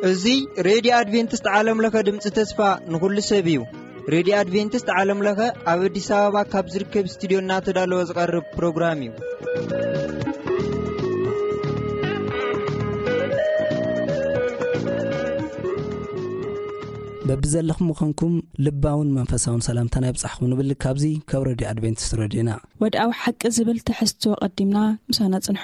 እዚ ሬድዮ ኣድቬንቲስት ዓለም ለኸ ድምፂ ተስፋ ንኹሉ ሰብ እዩ። ሬድዮ ኣድቬንቲስት ዓለም ለኸ ኣብ ኣዲስ ኣበባ ካብ ዝርከብ ስቱዲዮ እናተዳለወ ዝቐርብ ፕሮግራም እዩ። በብዘለኹም ምዃንኩም ልባውን መንፈሳውን ሰላምታና ይብጻሕኩም ንብል። ካብዚ ካብ ሬድዮ ኣድቬንቲስት ሬድዮና። ወድኣዊ ሓቂ ዝብል ትሕዝቶ ቀዲምና ምሳና ጽንሑ።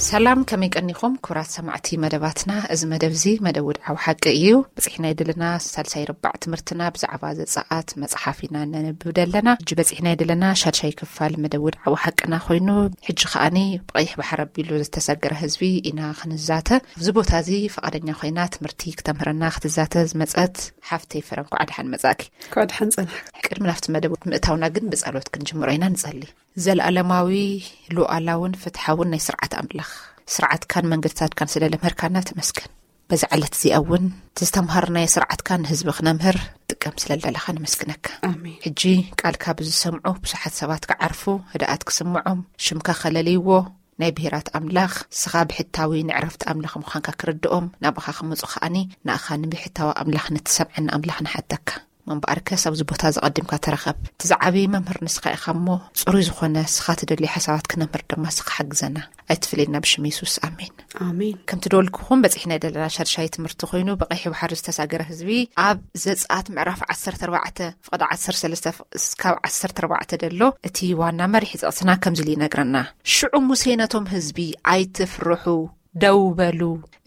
ሰላም፣ ከመይ ቀኒኹም ክቡራት ሰማዕቲ መደባትና? እዚ መደብ እዚ መደብ ውድዓዊ ሓቂ እዩ። በፂሕናዮ ዘለና ሳልሳይ ርባዕ ትምህርትና ብዛዕባ ዘፀኣት መፅሓፍ ኢና ነንብብ ዘለና። ሕጂ በፂሕናዮ ዘለና ሻድሻይ ክፋል መደብ ውድዓዊ ሓቅና ኮይኑ፣ ሕጂ ከዓኒ ብቐይሕ ባሕሪ ኣቢሉ ዝተሰገረ ህዝቢ ኢና ክንዛተ። ኣብዚ ቦታ እዚ ፈቓደኛ ኮይና ትምህርቲ ክተምህረና ክትዛተ ዝመፀት ሓፍተይ ፍረ፣ እንኳዕ ደሓን መፃእኪ። እንኳዕ ደሓን ፀናሕኪ። ቅድሚ ናብቲ መደብ ምእታውና ግን ብጸሎት ክንጅምሮ ኢና። ንጸሊ። ዘለኣለማዊ፣ ሉዓላውን ፍትሓውን ናይ ስርዓት ኣምላኽ፣ ስርዓትካን መንገድታትካን ስለ ለምሀርካና ተመስገን። በዛ ዕለት እዚኣ እውን ዝተምሃርናዮ ስርዓትካ ንህዝቢ ክነምህር ጥቀም ስለ ዘለኻ ነመስግነካ። ኣሜን። ሕጂ ቃልካ ብዝሰምዑ ብዙሓት ሰባት ክዓርፉ፣ ህድኣት ክስምዖም፣ ሽምካ ከለልይዎ፣ ናይ ብሄራት ኣምላኽ፣ ስኻ ብሕታዊ ንዕረፍቲ ኣምላኽ ምዃንካ ክርድኦም፣ ናባኻ ክመጹ ከኣኒ፣ ንኣኻ ንብሕታዊ ኣምላኽ፣ ንትሰምዐኒ ኣምላኽ ንሓተካ። እምበኣርከስ ኣብዚ ቦታ እዚ ቀዲምካ ተረኸብ። እቲ ዝዓበየ መምህር ንስኻ ኢኻ እሞ፣ ጽሩይ ዝኾነ ስኻ ትደልዮ ሓሳባት ክነምህር ድማ ስኻ ሓግዘና። ኣይትፍለየና ብሽም የሱስ፣ ኣሜን። ኣሜን። ከምቲ ደወልኩኹም በጺሕና ዘለና ሻድሻይ ትምህርቲ ኮይኑ፣ ብቐይሕ ባሕሪ ዝተሳገረ ህዝቢ ኣብ ዘጸኣት ምዕራፍ ዓሰርተ ኣርባዕተ ፍቕዲ ዓሰርተ ሰለስተ እስካብ ዓሰርተ ኣርባዕተ ደሎ፣ እቲ ዋና መሪሕ ጥቕስና ከምዚ ኢሉ ይነግረና። ሽዑ ሙሴ ነቶም ህዝቢ፣ "ኣይትፍርሑ፣ ደው በሉ፣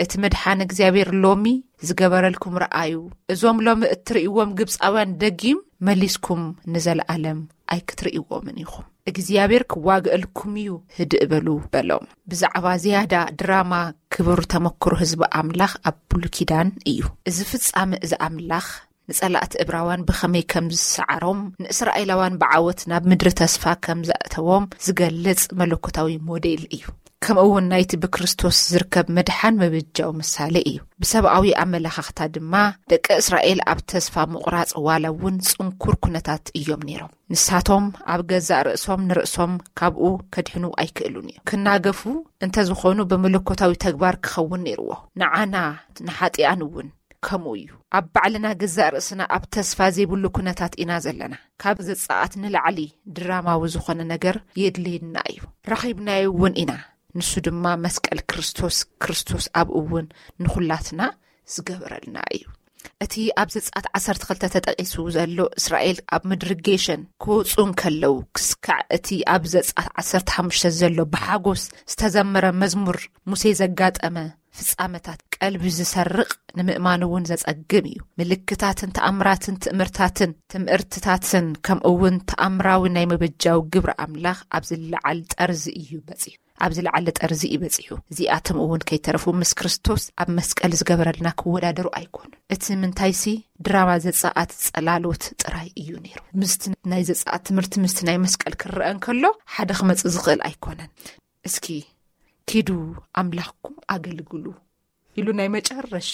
እቲ ምድሓን እግዚኣብሔር ሎሚ ዝገበረልኩም ረኣዩ። እዞም ሎሚ እትርእይዎም ግብጻውያን ደጊም መሊስኩም ንዘለኣለም ኣይክትርእይዎምን ኢኹም። እግዚኣብሔር ክዋግአልኩም እዩ፣ ህድእ በሉ" በሎም። ብዛዕባ ዝያዳ ድራማ ክቡር ተመክሮ ህዝቢ ኣምላኽ ኣብ ብሉይ ኪዳን እዩ። እዚ ፍጻመ እዚ ኣምላኽ ንጸላእቲ እብራውያን ብኸመይ ከም ዝሰዓሮም፣ ንእስራኤላውያን ብዓወት ናብ ምድሪ ተስፋ ከም ዘእተዎም ዝገልጽ መለኮታዊ ሞዴል እዩ። ከምኡ እውን ናይቲ ብክርስቶስ ዝርከብ ምድሓን ምብጃው ምሳሌ እዩ። ብሰብኣዊ ኣመለኻኽታ ድማ ደቂ እስራኤል ኣብ ተስፋ ምቑራጽ ዋላ እውን ጽንኩር ኩነታት እዮም ነይሮም። ንሳቶም ኣብ ገዛእ ርእሶም ንርእሶም ካብኡ ከድሕኑ ኣይክእሉን እዮም። ክናገፉ እንተዝኾኑ ብመለኮታዊ ተግባር ክኸውን ነይርዎ። ንዓና ንሓጢኣን እውን ከምኡ እዩ። ኣብ ባዕልና ገዛእ ርእስና ኣብ ተስፋ ዘይብሉ ኩነታት ኢና ዘለና። ካብ ዘጻኣት ንላዕሊ ድራማዊ ዝኾነ ነገር የድልየና እዩ። ረኺብናዮ እውን ኢና። ንሱ ድማ መስቀል ክርስቶስ፣ ክርስቶስ ኣብኡ እውን ንኹላትና ዝገበረልና እዩ። እቲ ኣብ ዘጻኣት ዓሰርተ ክልተ ተጠቒሱ ዘሎ እስራኤል ኣብ ምድሪ ጌሸን ክወጹ እንከለዉ ክስካዕ እቲ ኣብ ዘጻኣት ዓሰርተ ሓሙሽተ ዘሎ ብሓጎስ ዝተዘመረ መዝሙር ሙሴ ዘጋጠመ ፍጻመታት ቀልቢ ዝሰርቕ ንምእማን እውን ዘጸግም እዩ። ምልክታትን ተኣምራትን ትእምርታትን ትምህርትታትን ከምኡ እውን ተኣምራዊ ናይ ምብጃው ግብሪ ኣምላኽ ኣብ ዝለዓል ጠርዚ እዩ በጺሑ። ኣብ ዝለዓለ ጠርዚ እዩ በጺሑ። እዚኣቶም እውን ከይተረፉ ምስ ክርስቶስ ኣብ መስቀል ዝገበረልና ክወዳደሩ ኣይኮኑን። እቲ ምንታይሲ ድራማ ዘጻኣት ጸላሎት ጥራይ እዩ ነይሩ። ምስቲ ናይ ዘጻኣት ትምህርቲ ምስቲ ናይ መስቀል ክረአ እንከሎ ሓደ ክመጽእ ዝኽእል ኣይኮነን። እስኪ ኪዱ ኣምላኽኩም ኣገልግሉ ኢሉ ናይ መጨረሻ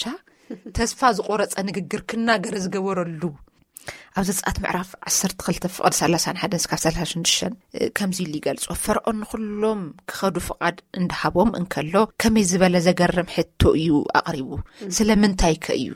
ተስፋ ዝቆረጸ ንግግር ክናገር ዝገበረሉ ኣብ ዘጸኣት ምዕራፍ ዓሰርተ ክልተ ፍቕዲ ሰላሳን ሓደን እስካብ ሰላሳን ሽዱሽተን ከምዚ ኢሉ ይገልጾ። ፈርዖን ንኹሎም ክኸዱ ፍቓድ እንዳሃቦም እንከሎ ከመይ ዝበለ ዘገርም ሕቶ እዩ ኣቕሪቡ? ስለምንታይ ከ እዩ?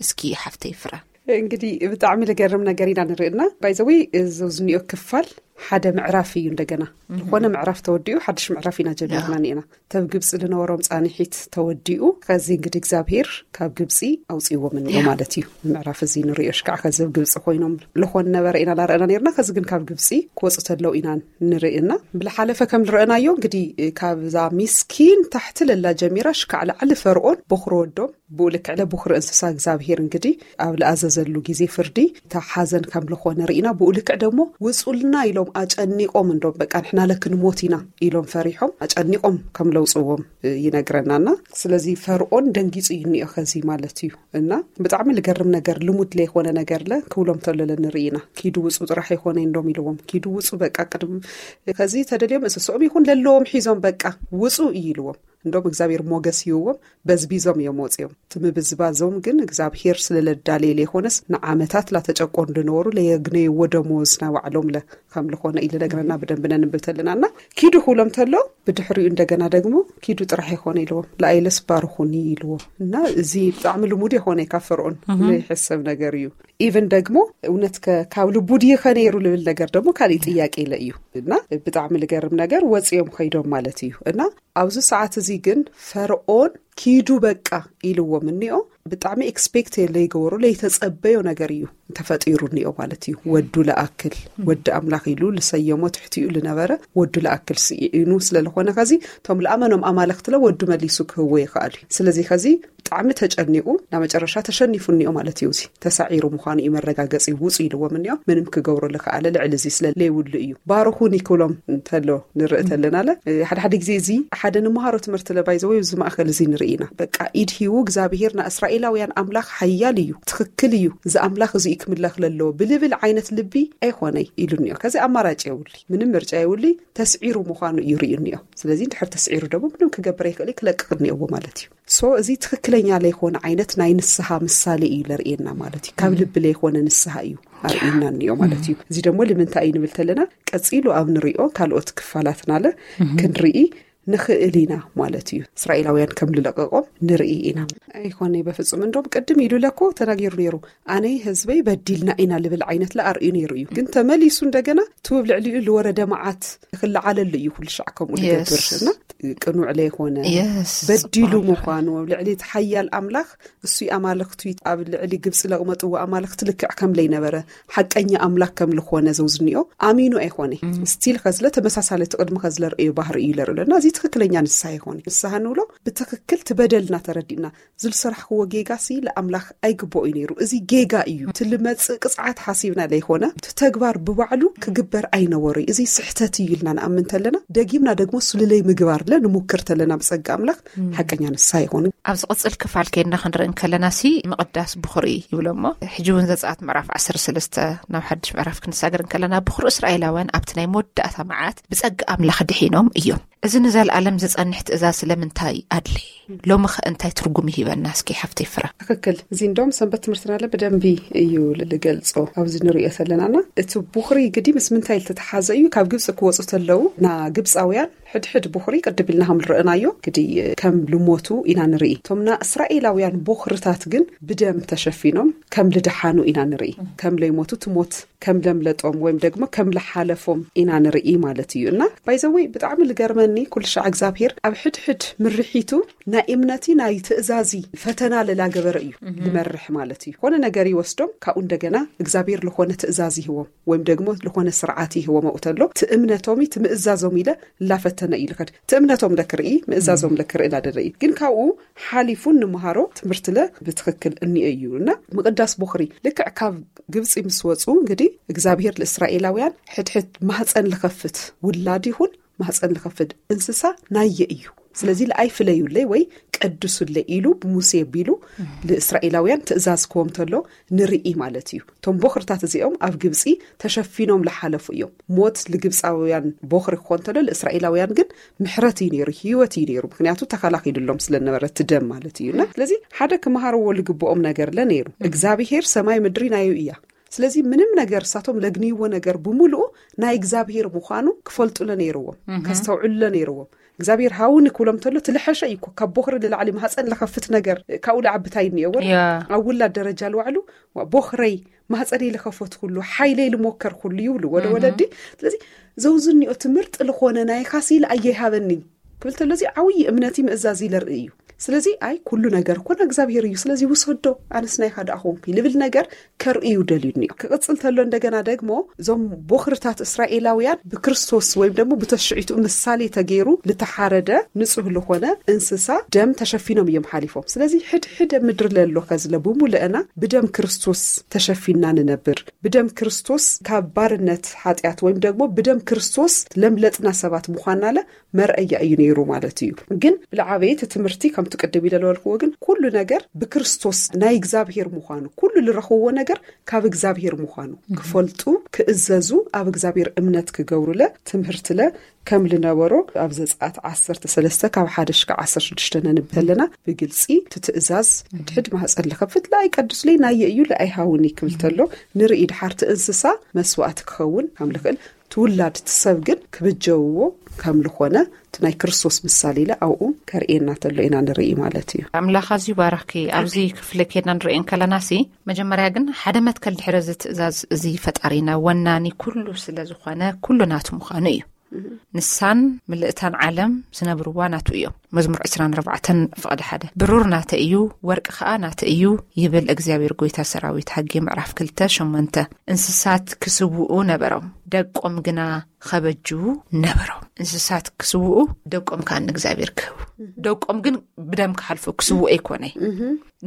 እስኪ ሓፍተይ ፍረ። እንግዲህ ብጣዕሚ ልገርም ነገር ኢና ንርእና። ባይዘወይ እዚ ዝኒኦ ክፋል ሓደ ምዕራፍ እዩ። እንደገና ዝኾነ ምዕራፍ ተወዲኡ ሓድሽ ምዕራፍ ኢና ጀሚርና ኒኤና። ተብ ግብፂ ዝነበሮም ፃንሒት ተወዲኡ ከዚ እንግዲህ እግዚኣብሔር ካብ ግብፂ ኣውፅእዎም እኒኦ ማለት እዩ። ምዕራፍ እዚ ንርእዮ ሽካዕ ከዚ ኣብ ግብፂ ኮይኖም ልኾን ነበረ ኢና ላረአና ነርና። ከዚ ግን ካብ ግብፂ ክወፁ ተለው ኢና ንርእና። ብልሓለፈ ከም ዝረአናዮ እንግዲህ ካብዛ ሚስኪን ታሕቲ ለላ ጀሚራ ሽካዕ ላዕሊ ፈርኦን በኹሪ ወዶም ብኡ ልክዕ ለቡኽሪ እንስሳ እግዚኣብሄር እንግዲህ ኣብ ለኣዘዘሉ ግዜ ፍርዲ እታ ሓዘን ከም ልኾነ ርኢና። ብኡ ልክዕ ደግሞ ውጹልና ኢሎም ኣጨኒቆም እንዶም በቃ ንሕና ለክንሞት ኢና ኢሎም ፈሪሖም ኣጨኒቆም ከም ለውጽዎም ይነግረናና። ስለዚ ፈርኦን ደንጊጹ እዩ እኒኦ ከዚ ማለት እዩ። እና ብጣዕሚ ልገርም ነገር ልሙድ ለይኮነ ነገር ለ ክብሎም ተሎ ለንርኢና። ኪዱ ውጹ ጥራሕ ይኮነ እንዶም ኢልዎም። ኪዱ ውጹ በቃ ቅድም ከዚ ተደልዮም እንስሶም ይኹን ለለዎም ሒዞም በቃ ውጹ እዩ ኢልዎም። እንዶም እግዚኣብሔር ሞገስ ይህዎም። በዝቢዞም እዮም ወፂኦም። እቲ ምብዝባዞም ግን እግዚኣብሔር ስለለዳለየ ለይኮነስ ንዓመታት ላተጨቆኑ ዝነበሩ ለየግነይዎ ደሞዝ ናባዕሎም ለ ከም ልኾነ ኢልነግረና ብደንብ ነንብብ ተለና እና ኪዱ ክብሎም ተሎ ብድሕሪኡ እንደገና ደግሞ ኪዱ ጥራሕ ይኮነ ኢልዎም። ለኣይለስ ባርኹኒ ኢልዎም። እና እዚ ብጣዕሚ ልሙድ የኮነ ካብ ፈርዖን ዘይሕሰብ ነገር እዩ። ኢቨን ደግሞ እውነት ከ- ካብ ልቡ ድዩ ከ ነይሩ ልብል ነገር ደግሞ ካልእ ጥያቄ ኢለ እዩ። እና ብጣዕሚ ልገርም ነገር ወፂኦም ከይዶም ማለት እዩ። እና ኣብዚ ሰዓት እዚ ግን ፈርዖን ኪዱ በቃ ኢልዎም እኒኦ። ብጣዕሚ ኤክስፔክት ለይገበሩ ለይተጸበዮ ነገር እዩ ተፈጢሩ እኒኦ ማለት እዩ። ወዱ ለኣክል ወዲ ኣምላኽ ኢሉ ልሰየሞ ትሕቲኡ ልነበረ ወዱ ለኣክል ስኢኑ ስለልኾነ ከዚ እቶም ለኣመኖም ኣማለኽትለ ወዱ መሊሱ ክህቦ ይኽኣል እዩ። ስለዚ ከዚ ብጣዕሚ ተጨኒቁ ናብ መጨረሻ ተሸኒፉ እኒኦ ማለት እዩ። እዚ ተሳዒሩ ምዃኑ እዩ መረጋገጺ ውጹ ኢልዎም እኒኦ። ምንም ክገብሮ ልክኣለ ልዕሊ እዚ ስለ ለይብሉ እዩ። ባርኹኒ ክብሎም እንተሎ ንርኢ ተለናለ። ሓደ ሓደ ግዜ እዚ ሓደ ንምሃሮ ትምህርቲ ለባይ ዘወይ እዚ ማእከል እዚ ንርኢ ኢና። በቃ ኢድ ሂቡ እግዚኣብሄር ንእስራኤላውያን ኣምላኽ ሓያል እዩ፣ ትኽክል እዩ፣ እዚ ኣምላኽ እዚ እዩ ክምለኽ ለለዎ ብልብል ዓይነት ልቢ ኣይኾነይ ኢሉ እኒኦ። ከዚ ኣማራጭ የብሉይ፣ ምንም ምርጫ የብሉይ። ተስዒሩ ምዃኑ እዩ ርእዩ እኒኦ። ስለዚ እንድሕር ተስዒሩ ደግሞ ምንም ክገብር ኣይክእል እዩ፣ ክለቅቕ እኒኦዎ ማለት እዩ። ሶ እዚ ትኽክለኛ ለይኮነ ዓይነት ናይ ንስሓ ምሳሌ እዩ ለርእየና ማለት እዩ። ካብ ልቢ ለይኮነ ንስሓ እዩ ኣርእዩና እኒኦ ማለት እዩ። እዚ ደግሞ ልምንታይ እዩ ንብል ተለና ቀጺሉ ኣብ ንሪኦ ካልኦት ክፋላትናለ ክንርኢ ንኽእል ኢና ማለት እዩ። እስራኤላውያን ከም ልለቀቆም ንርኢ ኢና። ኣይኮነ በፍጹም። እንደውም ቅድም ኢሉ ለኮ ተናጊሩ ነይሩ። ኣነይ ህዝበይ በዲልና ኢና ልብል ዓይነት ለኣርእዩ ነይሩ እዩ። ግን ተመሊሱ እንደገና ትውብ ልዕሊኡ ልወረደ መዓት ክለዓለሉ እዩ። ኩሉ ሻዕ ከምኡ ልገብር እና ቅኑዕ ለይኮነ በዲሉ ምዃኑ ኣብ ልዕሊ እቲ ሓያል ኣምላኽ እሱ ኣማልኽቱ ኣብ ልዕሊ ግብፂ ለቕመጥዎ ኣማልኽቲ ልክዕ ከም ለይነበረ ሓቀኛ ኣምላኽ ከም ልኾነ ዘውዝኒኦ ኣሚኑ ኣይኾነ። ስቲል ከዝለ ተመሳሳለ እቲ ቅድሚ ከዝለ ርእዮ ባህሪ እዩ ለርእሎ እና እዚ ትኽክለኛ ንስሓ ይኾነ። ንስሓ ንብሎ ብትኽክል ትበደልና ተረዲእና ዝልስራሕክዎ ጌጋ ሲ ለኣምላኽ ኣይግብኦ እዩ ነይሩ። እዚ ጌጋ እዩ። እቲ ልመጽእ ቅጽዓት ሓሲብና ለይኮነ እቲ ተግባር ብባዕሉ ክግበር ኣይነበሩ እዩ። እዚ ስሕተት እዩ ኢልና ንኣምን ተለና ደጊምና ደግሞ ስሉለይ ምግባር ለ ንሙክር ተለና ብጸጋ ኣምላኽ ሓቀኛ ንስሓ ይኾኑ። ኣብ ዝቕጽል ክፋል ከይድና ክንርኢ እንከለና ሲ ምቕዳስ ብኹሪ ይብሎ እሞ ሕጂ እውን ዘጸኣት ምዕራፍ ዓሰርተ ሰለስተ ናብ ሓድሽ ምዕራፍ ክንሳገር እንከለና ብኹሪ እስራኤላውያን ኣብቲ ናይ መወዳእታ መዓት ብጸጋ ኣምላኽ ድሒኖም እዮም። እዚ ንዘለኣለም ዝጸንሕ ትእዛዝ ስለምንታይ ኣድለየ? ሎሚ ኸ እንታይ ትርጉም ይህበና? እስኪ ሓፍተይ ፍረ። ትኽክል። እዚ እንደውም ሰንበት ትምህርትና ለ ብደንቢ እዩ ልገልጾ ኣብዚ ንሪኦ ዘለናና እቲ ቡኽሪ ግዲ ምስ ምንታይ ልተተሓዘ እዩ? ካብ ግብፂ ክወፁ ተለዉ ና ግብፃውያን ሕድሕድ ቡኽሪ ቅድም ኢልና ከም ንርእናዮ ግዲ ከም ልሞቱ ኢና ንርኢ። እቶም ና እስራኤላውያን ቡኽርታት ግን ብደም ተሸፊኖም ከም ልደሓኑ ኢና ንርኢ። ከም ለይሞቱ ትሞት ከም ለምለጦም ወይም ደግሞ ከም ለሓለፎም ኢና ንርኢ ማለት እዩ። እና ባይዘወይ ብጣዕሚ ልገርመኒ ኩልሻዕ እግዚኣብሄር ኣብ ሕድሕድ ምርሒቱ ናይ እምነቲ ናይ ትእዛዚ ፈተና ለላገበረ እዩ ልመርሕ ማለት እዩ። ኾነ ነገር ይወስዶም ካብኡ እንደገና እግዚኣብሄር ልኾነ ትእዛዝ ይህዎም ወይም ደግሞ ልኾነ ስርዓት ይህዎም። ኣብኡ ተሎ ትእምነቶም ትምእዛዞም ኢለ ላፈተነ እዩ ልኸድ ትእምነቶም ለክርኢ ምእዛዞም ለክርኢ ላደረ እዩ። ግን ካብኡ ሓሊፉ ንምሃሮ ትምህርቲ ለ ብትኽክል እኒኦ እዩ። እና ምቕዳስ ቦኽሪ ልክዕ ካብ ግብፂ ምስ ወፁ እንግዲህ እግዚኣብሄር ልእስራኤላውያን ሕድሕድ ማህፀን ልኸፍት ውላድ ይኹን ማህፀን ልኸፍት እንስሳ ናየ እዩ። ስለዚ ለኣይ ፍለዩለይ ወይ ቀድሱለይ ኢሉ ብሙሴ ቢሉ ልእስራኤላውያን ትእዛዝ ክዎም ተሎ ንርኢ ማለት እዩ። እቶም ቦኽርታት እዚኦም ኣብ ግብፂ ተሸፊኖም ልሓለፉ እዮም። ሞት ልግብፃውያን ቦኽሪ ክኾን ተሎ ልእስራኤላውያን ግን ምሕረት እዩ ነይሩ፣ ህይወት እዩ ነይሩ። ምክንያቱ ተኸላኺሉሎም ስለነበረ እቲ ደም ማለት እዩ። እና ስለዚ ሓደ ክመሃርዎ ልግብኦም ነገር ለ ነይሩ። እግዚኣብሄር ሰማይ ምድሪ ናዩ እያ። ስለዚ ምንም ነገር እሳቶም ለግንይዎ ነገር ብምሉኡ ናይ እግዚኣብሄር ምዃኑ ክፈልጡለ ነይርዎም፣ ከስተውዕሉለ ነይርዎም። እግዚኣብሄር ሃውኒ ክብሎም ተሎ ትልሐሸ እዩ እኮ ካብ ቦኽሪ ልላዕሊ ማህፀን ለኸፍት ነገር ካብኡ ለዓብታይ እኒኦ ወረ ኣብ ውላድ ደረጃ ልዋዕሉ ቦኽረይ ማህፀነይ ልኸፈት ኩሉ ሓይለይ ልሞከር ኩሉ ይብሉ ወደ ወለዲ። ስለዚ ዘውዝኒኦ ትምህርጥ ልኾነ ናይ ካሲ ለኣየይ ሃበኒ ክብል ተሎ እዚ ዓብዪ እምነቲ ምእዛዝ ይለርኢ እዩ። ስለዚ ኣይ ኩሉ ነገር እኮ ናይ እግዚኣብሔር እዩ፣ ስለዚ ውሰዶ፣ ኣነስ ናይኻ ደኣ ኾንኩ ልብል ነገር ከርእዩ ደልዩኒ። ክቕጽል ተሎ እንደገና ደግሞ እዞም ቦኽርታት እስራኤላውያን ብክርስቶስ ወይም ደግሞ ብተሽዒቱ ምሳሌ ተገይሩ ልተሓረደ ንጹህ ልኾነ እንስሳ ደም ተሸፊኖም እዮም ሓሊፎም። ስለዚ ሕድሕደ ምድሪ ለሎ ከዝለ ብሙሉእና ብደም ክርስቶስ ተሸፊና ንነብር። ብደም ክርስቶስ ካብ ባርነት ሓጢኣት ወይም ደግሞ ብደም ክርስቶስ ለምለጥና ሰባት ምዃንና ለ መርኣያ እዩ ነይሩ ማለት እዩ። ግን ብልዓበየ እቲ ትምህርቲ ከምቲ ቅድም ኢለ ዝበልክዎ ግን ኩሉ ነገር ብክርስቶስ ናይ እግዚኣብሔር ምዃኑ፣ ኩሉ ልረኽብዎ ነገር ካብ እግዚኣብሔር ምዃኑ ክፈልጡ፣ ክእዘዙ፣ ኣብ እግዚኣብሔር እምነት ክገብሩለ ትምህርትለ ከም ልነበሮ ኣብ ዘጸኣት ዓሰርተ ሰለስተ ካብ ሓደ ሽካዕ ዓሰርተ ሽዱሽተ ነንብብ ኣለና። ብግልጺ እቲ ትእዛዝ ሕድሕድ ማህጸን ልኸፍት ለኣይ ቀዱስ ለይ ናየ እዩ ለኣይ ሃውኒ ክብል ተሎ ንርኢ። ድሓርቲ እንስሳ መስዋእቲ ክኸውን ከም ልኽእል ትውላድ እቲ ሰብ ግን ክብጀውዎ ከም ልኾነ እቲ ናይ ክርስቶስ ምሳሌ ኢለ ኣብኡ ከርእየና ተሎ ኢና ንርኢ ማለት እዩ። ኣምላኽ ኣዝዩ ባረኽኪ። ኣብዚ ክፍሊ ከይድና ንርእየን ከለና ሲ መጀመርያ ግን ሓደ መትከል ድሕሪ እዚ ትእዛዝ እዚ ፈጣሪና ወናኒ ኩሉ ስለ ዝኾነ ኩሉ ናቱ ምዃኑ እዩ። ንሳን ምልእታን ዓለም ዝነብርዋ ናቱ እዮም። መዝሙር ዕስራን ኣርባዕተን ፍቕዲ ሓደ። ብሩር ናተ እዩ፣ ወርቂ ኸኣ ናተ እዩ ይብል እግዚኣብሔር ጎይታ ሰራዊት። ሃጌ ምዕራፍ ክልተ ሸሞንተ። እንስሳት ክስውኡ ነበሮም፣ ደቆም ግና ኸበጅዉ ነበሮም። እንስሳት ክስውኡ፣ ደቆም ከኣ ንእግዚኣብሔር ክህቡ። ደቆም ግን ብደም ክሓልፉ ክስውኡ ኣይኮነ።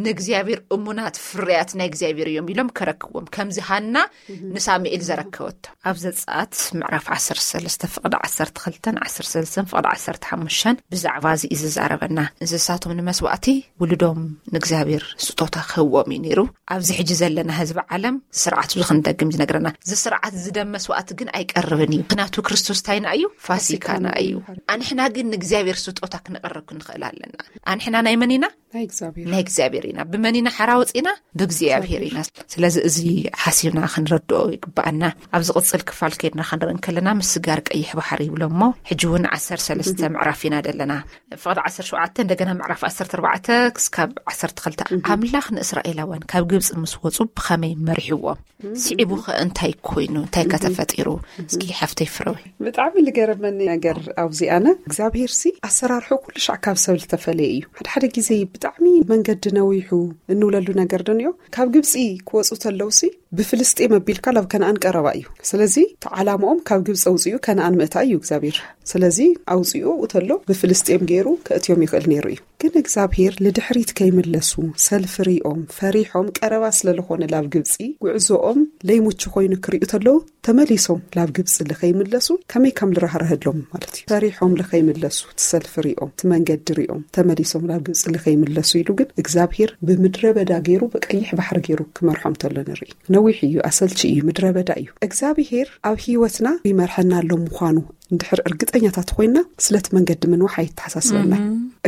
ንእግዚኣብሔር እሙናት ፍርያት ናይ እግዚኣብሔር እዮም ኢሎም ከረክዎም። ከምዚ ሃና ንሳሙኤል ዘረከበቶ። ኣብ ዘጸኣት ምዕራፍ ዓሰርተ ሰለስተ ፍቕዲ ዓሰርተ ክልተን ዓሰርተ ሰለስተን ፍቕዲ ዓሰርተ ሓሙሽተን ብዛዕባ እዚ እዩ ዝዛረበና። እንስሳቶም ንመስዋእቲ፣ ውሉዶም ንእግዚኣብሔር ስጦታ ክህዎም እዩ ነይሩ። ኣብዚ ሕጂ ዘለና ህዝቢ ዓለም ስርዓት እዚ ክንደግም ዝነግረና። እዚ ስርዓት እዚ ደም መስዋእቲ ግን ኣይቀርብን እዩ። ምኽንያቱ ክርስቶስ ታይና እዩ? ፋሲካና እዩ። ኣንሕና ግን ንእግዚኣብሔር ስጦታ ክነቕርብ ክንኽእል ኣለና። ኣንሕና ናይ መን ኢና? ናይ እግዚኣብሔር። ናይ እግዚኣብሔር ኢና። ብመን ኢና ሓራ ወፂና? ብእግዚኣብሔር ኢና። ስለዚ እዚ ሓሲብና ክንረድኦ ይግባኣና። ኣብ ዝቕጽል ክፋል ከይድና ክንርኢ እንከለና ምስጋር ቀይሕ ባሕሪ ይብሎ እሞ፣ ሕጂ እውን ዓሰርተ ሰለስተ ምዕራፍ ኢና ዘለና። ፍቕዲ ዓሰርተ ሸውዓተ እንደገና ምዕራፍ ዓሰርተ ኣርባዕተ ክስካብ ዓሰርተ ክልተ። ኣምላኽ ንእስራኤላውያን ካብ ግብጺ ምስ ወጹ ብኸመይ መሪሕዎም? ስዒቡ ኸ እንታይ ኮይኑ? እንታይ ከ ተፈጢሩ? እስኪ ሓፍተይ ፍረዊ። ብጣዕሚ ልገረመኒ ነገር ኣብዚ ኣነ እግዚኣብሔር ሲ ኣሰራርሑ ኩሉ ሻዕ ካብ ሰብ ዝተፈለየ እዩ። ሓደ ሓደ ግዜ ብጣዕሚ መንገዲ ነዊሑ እንብለሉ ነገር ዶ ንዮ? ካብ ግብጺ ክወጹ ተለውሲ ብፍልስጤም ኣቢልካ ናብ ከነኣን ቀረባ እዩ። ስለዚ እቲ ዓላምኦም ካብ ግብጺ ኣውጺኡ ከነኣን ምእታ እዩ እግዚኣብሔር። ስለዚ ኣውጺኡ ተሎ ብፍልስጤም ገይሩ ከእትዮም ይኽእል ነይሩ እዩ። ግን እግዚኣብሔር ልድሕሪት ከይምለሱ ሰልፊ ሪኦም ፈሪሖም ቀረባ ስለ ዝኾነ ላብ ግብጺ ጉዕዞኦም ለይሙቹ ኮይኑ ክሪኡ ተለዉ ተመሊሶም ላብ ግብጺ ልኸይምለሱ ከመይ ከም ልራህረህሎም ማለት እዩ። ፈሪሖም ልኸይምለሱ እቲ ሰልፊ ሪኦም እቲ መንገዲ ሪኦም ተመሊሶም ላብ ግብጺ ልኸይምለሱ ኢሉ ግን እግዚኣብሔር ብምድረ በዳ ገይሩ ብቀይሕ ባሕሪ ገይሩ ክመርሖም ተሎ ንርኢ። ነዊሕ እዩ፣ ኣሰልቺ እዩ፣ ምድረ በዳ እዩ። እግዚኣብሔር ኣብ ህይወትና ይመርሐና ኣሎ ምዃኑ እንድሕር እርግጠኛታት ኮይና ስለቲ መንገዲ ምንዋሕ ኣይተሓሳስበና።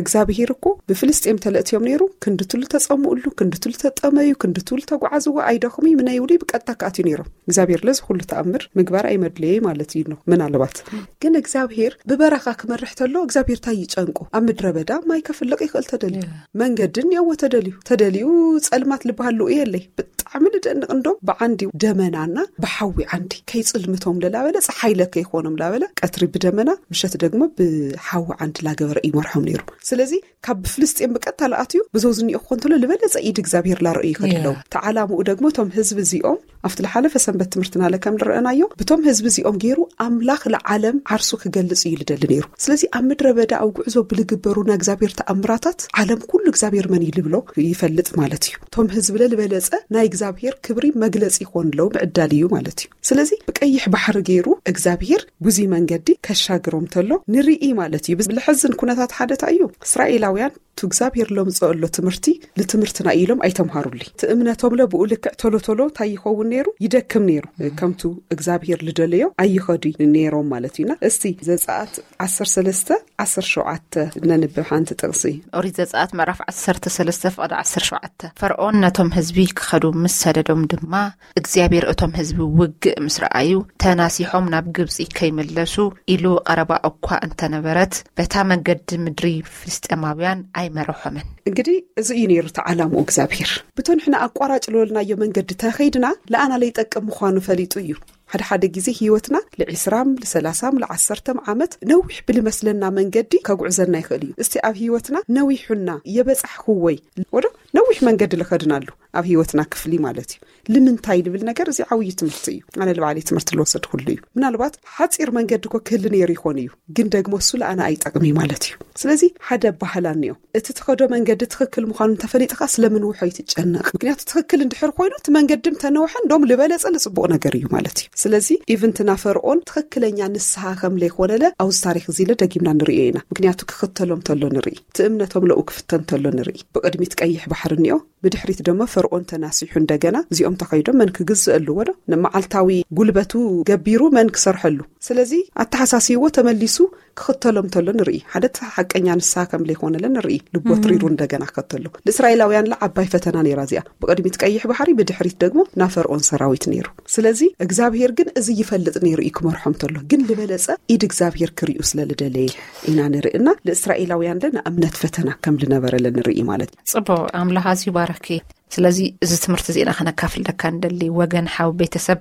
እግዚኣብሔር እኮ ብፍልስጤም ተለእትዮም ነይሩ ክንድትሉ ተጸምኡሉ ክንድትሉ ተጠመዩ ክንድትሉ ተጓዓዝዎ ኣይደኽሙ ምነይብሉ ብቀጥታ ክኣትዩ ነይሮም። እግዚኣብሔር ለዚ ኩሉ ተኣምር ምግባር ኣይመድለየ ማለት እዩ ነው ምናልባት። ግን እግዚኣብሔር ብበረኻ ክመርሕ ተሎ እግዚኣብሔር ታይ ይጨንቁ? ኣብ ምድረ በዳ ማይ ከፍልቕ ይኽእል ተደልዩ መንገድን የዎ ተደልዩ ተደልዩ ጸልማት ልበሃል ልኡ የለይ። ብጣዕሚ ንደንቕ እንዶ ብዓንዲ ደመናና ብሓዊ ዓንዲ ከይጽልምቶም ለላበለ ጸሓይ ለከ ይኾኖም ላበለ ቀትሪ ብደመና ምሸት ደግሞ ብሓዊ ዓንዲ ላገበረ ይመርሖም ነይሩ። ስለዚ ካብ ብፍልስጤም ብቀጥታ ለኣትዩ ብዞዝኒኦ ክኾን ተሎ ልበለጸ ኢድ እግዚኣብሔር ላርእዩ ይኸድለው ተዓላምኡ ደግሞ እቶም ህዝቢ እዚኦም ኣብቲ ልሓለፈ ሰንበት ትምህርትና ለከም ንረአናዮ ብቶም ህዝቢ እዚኦም ገይሩ ኣምላኽ ለዓለም ዓርሱ ክገልጽ እዩ ልደሊ ነይሩ። ስለዚ ኣብ ምድረ በዳ ኣብ ጉዕዞ ብልግበሩ ናይ እግዚኣብሔር ተኣምራታት ዓለም ኩሉ እግዚኣብሔር መን እዩ ልብሎ ይፈልጥ ማለት እዩ። እቶም ህዝቢ ለልበለጸ ናይ እግዚኣብሔር ክብሪ መግለጺ ይኾንለው ምዕዳል እዩ ማለት እዩ። ስለዚ ብቀይሕ ባሕሪ ገይሩ እግዚኣብሔር ብዙ መንገዲ ከሻግሮም ተሎ ንርኢ ማለት እዩ። ብልሐዝን ኩነታት ሓደታ እዩ እስራኤላውያን እቲ እግዚኣብሔር ለምፅኦ ኣሎ ትምህርቲ ልትምህርትና ኢሎም ኣይተምሃሩሊ እቲ እምነቶም ለብኡ ልክዕ ቶሎ ቶሎ እንታይ ይኸውን ነይሩ? ይደክም ነይሩ። ከምቱ እግዚኣብሔር ልደለዮ ኣይኸዱ ነይሮም ማለት እዩና። እስቲ ዘፀኣት ዓሰርተ ሰለስተ ዓሰርተ ሸውዓተ ነንብብ ሓንቲ ጥቕሲ። ኦሪት ዘጸኣት ምዕራፍ ዓሰርተ ሰለስተ ፍቕዲ ዓሰርተ ሸውዓተ። ፈርዖን ነቶም ህዝቢ ክኸዱ ምስ ሰደዶም ድማ እግዚኣብሔር እቶም ህዝቢ ውግእ ምስ ረኣዩ ተናሲሖም ናብ ግብጺ ከይምለሱ ኢሉ ቀረባ እኳ እንተነበረት በታ መንገዲ ምድሪ ፍልስጤማውያን ኣይመርሖምን። እንግዲህ እዚ እዩ ነይሩ ተዓላምኡ እግዚኣብሔር። ብቶ ንሕና ኣቋራጭ ልበልናዮ መንገዲ ተኸይድና ለኣና ለይጠቅም ምዃኑ ፈሊጡ እዩ። ሓደ ሓደ ግዜ ህይወትና ል20ም ል30ም ል10ም ዓመት ነዊሕ ብልመስለና መንገዲ ከጉዕዘና ይኽእል እዩ። እስቲ ኣብ ህይወትና ነዊሑና የበጻሕኩዎይ ወዶ ነዊሕ መንገዲ ልኸድናሉ ኣብ ህይወትና ክፍሊ ማለት እዩ። ልምንታይ ልብል ነገር እዚ ዓብዪ ትምህርቲ እዩ። ኣነ ልባዕለይ ትምህርቲ ልወሰድኩሉ እዩ። ምናልባት ሓፂር መንገዲ ኮ ክህሊ ነይሩ ይኾን እዩ፣ ግን ደግሞ እሱ ለኣና ኣይጠቅሚ ማለት እዩ። ስለዚ ሓደ ባህላ እኒኦ፣ እቲ ትኸዶ መንገዲ ትኽክል ምዃኑ እንተፈሊጥካ ስለምን ውሖ ይትጨነቕ? ምክንያቱ ትኽክል እንድሕር ኮይኑ እቲ መንገዲ እንተነውሐ እንደም ልበለጸ ልጽቡቕ ነገር እዩ ማለት እዩ። ስለዚ ኢቭንትና ፈርኦን ትኽክለኛ ንስሓ ከም ለይኮነለ ኣብዚ ታሪክ እዚ ለ ደጊምና ንርእዮ ኢና። ምክንያቱ ክኽተሎም ተሎ ንርኢ፣ እቲ እምነቶም ለኡ ክፍተን ተሎ ንርኢ። ብቕድሚት ቀይሕ ባሕሪ እኒኦ፣ ብድሕሪት ደሞ ፈርኦን ተናሲሑ እንደገና እዚኦም ተኸይዶም መን ክግዝእ ኣለዎ ዶ? ንመዓልታዊ ጉልበቱ ገቢሩ መን ክሰርሐሉ? ስለዚ ኣተሓሳሲዎ ተመሊሱ ክኽተሎም ተሎ ንርኢ። ሓደ ሓቀኛ ንስሓ ከም ለይኮነለ ንርኢ። ልቦ ትሪሩ እንደገና ክኸተሎ። ንእስራኤላውያን ለ ዓባይ ፈተና ነይራ እዚኣ። ብቕድሚት ቀይሕ ባሕሪ፣ ብድሕሪት ደግሞ ና ፈርኦን ሰራዊት ነይሩ። ስለዚ እግዚኣብሔር ግን እዚ ይፈልጥ ነይሩ እዩ ክመርሖም ተሎ። ግን ልበለጸ ኢድ እግዚኣብሔር ክርእዩ ስለ ልደለየ ኢና ንርኢ እና ንእስራኤላውያን ለ ንእምነት ፈተና ከም ልነበረ ለ ንርኢ ማለት እዩ። ጽቡቕ፣ ኣምላኽ ኣዝዩ ባረኪ። ስለዚ እዚ ትምህርቲ እዚና ከነካፍል ደካ እንደሊ ወገን ሓው ቤተሰብ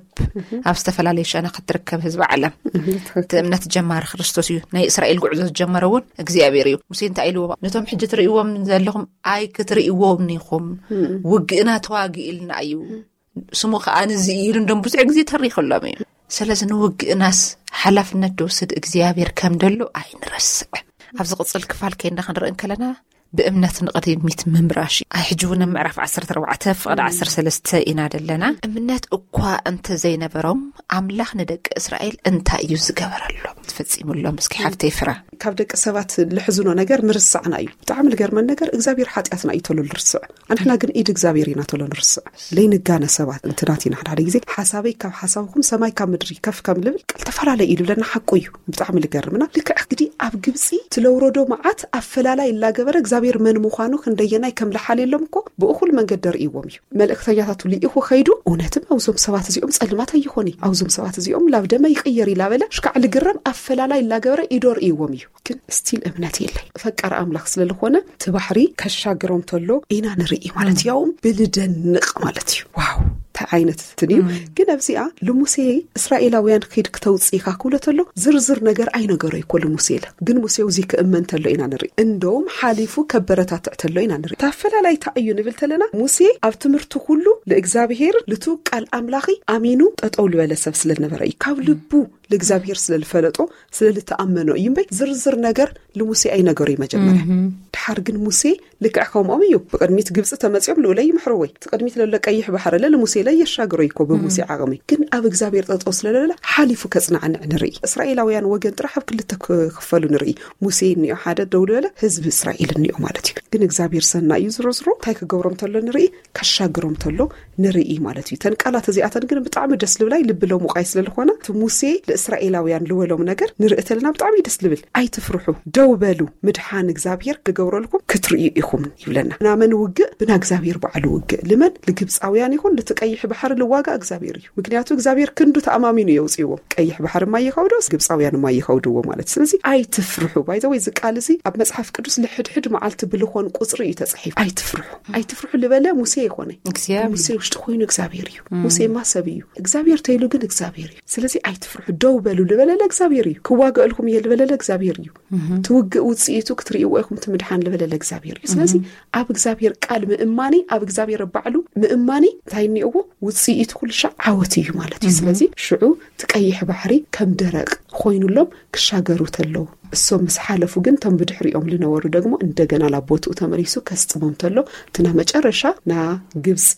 ኣብ ዝተፈላለዩ ሸነኽ እትርከብ ህዝቢ ዓለም እቲ እምነት ጀማሪ ክርስቶስ እዩ። ናይ እስራኤል ጉዕዞ ዝጀመረ እውን እግዚኣብሔር እዩ። ሙሴ እንታይ ኢልዎ? ነቶም ሕጂ ትርእይዎም ዘለኹም ኣይክትርእይዎም ኢኹም፣ ውግእና ተዋጊእልና እዩ፣ ስሙ ከዓ ንዚ እዩ ኢሉ እንደም ብዙሕ ግዜ ተሪኽሎም እዩ። ስለዚ ንውግእናስ ሓላፍነት ድወስድ እግዚኣብሔር ከም ደሎ ኣይንረስዕ። ኣብ ዝቕጽል ክፋል ከይንዳ ክንርኢ እንከለና ብእምነት ንቕድሚት ምምራሽ እዩ። ኣይ ሕጂ እውን ኣብ ምዕራፍ 14 ፍቕዲ 13 ኢና ዘለና። እምነት እኳ እንተ ዘይነበሮም ኣምላኽ ንደቂ እስራኤል እንታይ እዩ ዝገበረሎም፣ ዝፈጺሙሎም? እስኪ ሓፍተይ ፍራ። ካብ ደቂ ሰባት ልሕዝኖ ነገር ምርሳዕና እዩ። ብጣዕሚ ልገርመን ነገር እግዚኣብሔር ሓጢኣትና እዩ ተሎ ልርስዕ። ኣንሕና ግን ኢድ እግዚኣብሔር ኢና ተሎ ንርስዕ። ለይንጋነ ሰባት እንትናት ኢና ሓደ ሓደ ግዜ ሓሳበይ ካብ ሓሳብኩም ሰማይ ካብ ምድሪ ከፍ ከም ልብል ቃል ተፈላለይ እዩ ልብለና ሓቁ እዩ። ብጣዕሚ ልገርምና ልክዕ ግዲ ኣብ ግብፂ ትለውረዶ መዓት ኣፈላላይ እናገበረ እግዚኣብሔር መን ምዃኑ ክንደየናይ ከም ልሓልየሎም እኮ ብእኹል መንገድ ደርእይዎም እዩ። መልእክተኛታቱ ልኢኹ ከይዱ እውነትም ኣውዞም ሰባት እዚኦም ጸልማት ኣይኾኒ፣ ኣውዞም ሰባት እዚኦም ላብ ደመ ይቕየር ኢላበለ ሽካዕ ልግረም ኣፈላላይ እናገበረ ኢዶ ርእይዎም እዩ። ግን ስቲል እምነት የለይ። ፈቃር ኣምላኽ ስለ ዝኾነ እቲ ባሕሪ ከሻግሮም ተሎ ኢና ንርኢ ማለት ያውም ብልደንቕ ማለት እዩ። ዋው እንታይ ዓይነት እንትን እዩ። ግን ኣብዚኣ ልሙሴ እስራኤላውያን ኺድ ክተውፅኢኻ ክብሎ ተሎ ዝርዝር ነገር ኣይነገሮ ይኮ ልሙሴ ኢለ። ግን ሙሴ ውዚ ክእመን ተሎ ኢና ንርኢ። እንደውም ሓሊፉ ከበረታትዕ ተሎ ኢና ንርኢ። ታፈላላይ እንታይ እዩ ንብል ተለና ሙሴ ኣብ ትምህርቱ ኩሉ ለእግዚኣብሔር ልቱ ቃል ኣምላኺ ኣሚኑ ጠጠው ልበለ ሰብ ስለነበረ እዩ። ካብ ልቡ ለእግዚኣብሔር ስለልፈለጦ ስለልተኣመኖ እዩ እምበይ ዝርዝር ነገር ልሙሴ ኣይነገሮ እዩ መጀመርያ። ድሓር ግን ሙሴ ልክዕ ከምኦም እዩ። ብቅድሚት ግብፂ ተመፅኦም ልኡለይ ይምሕርወይ ትቅድሚት ለሎ ቀይሕ ባሕር ለ ልሙሴ ለይ የሻግሮ ይኮ ብሙሴ ዓቕሚ ግን ኣብ እግዚኣብሔር ጠጠው ስለለለ ሓሊፉ ከፅናዕንዕ ንርኢ። እስራኤላውያን ወገን ጥራሕ ኣብ ክልተ ክፈሉ ንርኢ። ሙሴ እኒኦ ሓደ ደው ልበለ ህዝቢ እስራኤል እኒኦ ማለት እዩ። ግን እግዚኣብሔር ሰና እዩ ዝሮ ዝሮ እንታይ ክገብሮም ተሎ ንርኢ ከሻግሮም ተሎ ንርኢ ማለት እዩ። ተን ቃላት እዚኣተን ግን ብጣዕሚ ደስ ልብላይ ልብሎም ውቃይ ስለልኾነ እቲ ሙሴ ለእስራኤላውያን ልበሎም ነገር ንርኢ ተለና ብጣዕሚ ደስ ልብል። ኣይትፍርሑ ደው በሉ ምድሓን እግዚኣብሔር ክገብረልኩም ክትርእዩ ኢኹም ይብለና። ናመን ውግእ ብና እግዚኣብሔር በዓሉ ውግእ ልመን ልግብፃውያን ይኹን ልትቀይሕ ባሕሪ ልዋጋ እግዚኣብሔር እዩ። ምክንያቱ እግዚኣብሔር ክንዱ ተኣማሚኑ የውፅእዎም። ቀይሕ ባሕሪ ማይ ይኸውዶ ግብፃውያን ማይ ይኸውድዎ ማለት ስለዚ ኣይትፍርሑ ባይዘ ወይ ዝቃል እዚ ኣብ መፅሓፍ ቅዱስ ልሕድሕድ መዓልቲ ብልኾን ቁፅሪ እዩ ተፅሒፍ። ኣይትፍርሑ ኣይትፍርሑ ልበለ ሙሴ ይኾነ። ሙሴ ውሽጢ ኮይኑ እግዚኣብሔር እዩ። ሙሴማ ሰብ እዩ። እግዚኣብሔር ተይሉ ግን እግዚኣብሔር እዩ። ስለዚ ኣይትፍርሑ ደው በሉ ልበለለ እግዚኣብሔር እዩ። ክዋገእልኩም እየ ልበለለ እግዚኣብሔር እዩ። ትውግእ ውፅኢቱ ክትርእይዎ ኢኹም ትምድሓን ልበለለ እግዚኣብሔር እዩ። ስለዚ ኣብ እግዚኣብሔር ቃል ምእማኒ ኣብ እግዚኣብሔር ባዕሉ ምእማኒ እንታይ እኒኦዎ ውፅኢቱ ኩልሻ ዓወት እዩ ማለት እዩ። ስለዚ ሽዑ ትቀይሕ ባሕሪ ከም ደረቅ ኮይኑሎም ክሻገሩ ተለዉ እሶም ምስ ሓለፉ ግን ቶም ብድሕሪኦም ልነበሩ ደግሞ እንደገና ናብ ቦትኡ ተመሊሱ ከስጥሞም ተሎ እቲ ና መጨረሻ ና ግብፂ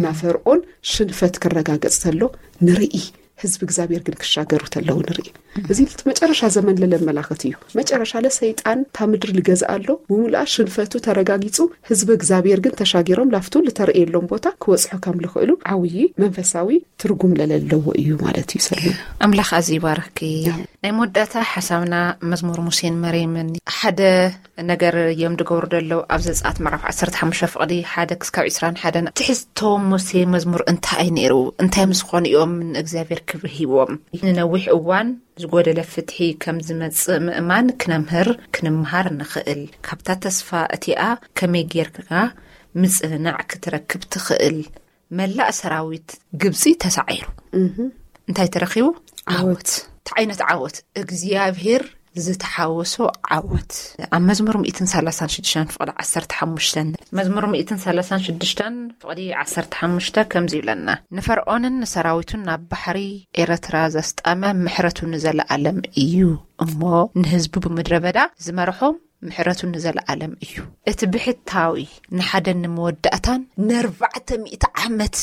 ና ፈርዖን ሽንፈት ክረጋገፅ ተሎ ንርኢ። ህዝቢ እግዚኣብሔር ግን ክሻገሩ ተለዉ ንርኢ። እዚ መጨረሻ ዘመን ለለመላኸት እዩ። መጨረሻ ለሰይጣን ታ ምድሪ ልገዝእ ኣሎ ብሙሉኣ ሽንፈቱ ተረጋጊፁ ህዝቢ እግዚኣብሔር ግን ተሻጊሮም ላፍቱ ልተረእየሎም ቦታ ክወፅሑ ከም ልኽእሉ ዓብዪ መንፈሳዊ ትርጉም ለለለዎ እዩ ማለት እዩ። ሰሉ ኣምላኽ ኣዚ ይባርኪ። ናይ መወዳእታ ሓሳብና መዝሙር ሙሴን መሬምን ሓደ ነገር እዮም ድገብሩ ደለው ኣብ ዘጻት ምዕራፍ 15 ፍቕዲ ሓደ ክስካብ 21 ትሕዝቶ ሙሴ መዝሙር እንታይ ነይሩ? እንታይ ምስ ዝኾኑ እዮም ንእግዚኣብሔር ክብሪ ሂቦም? ንነዊሕ እዋን ዝጎደለ ፍትሒ ከም ዝመጽእ ምእማን ክነምህር ክንምሃር ንኽእል። ካብታ ተስፋ እቲኣ ከመይ ጌርካ ምጽንናዕ ክትረክብ ትኽእል? መላእ ሰራዊት ግብጺ ተሳዒሩ። እንታይ ተረኺቡ? ዓወት። እንታይ ዓይነት ዓወት? እግዚኣብሔር ዝተሓወሶ ዓወት። ኣብ መዝሙር ሚእትን ሰላሳን ሽዱሽተን ፍቕዲ ዓሰርተ ሓሙሽተ፣ መዝሙር ሚእትን ሰላሳን ሽዱሽተን ፍቕዲ ዓሰርተ ሓሙሽተ ከምዚ ይብለና፣ ንፈርዖንን ንሰራዊቱን ናብ ባሕሪ ኤርትራ ዘስጠመ ምሕረቱ ንዘለኣለም እዩ፣ እሞ ንህዝቡ ብምድረ በዳ ዝመርሖም ምሕረቱ ንዘለኣለም እዩ። እቲ ብሕታዊ ንሓደን ንመወዳእታን ንኣርባዕተ ሚእቲ ዓመት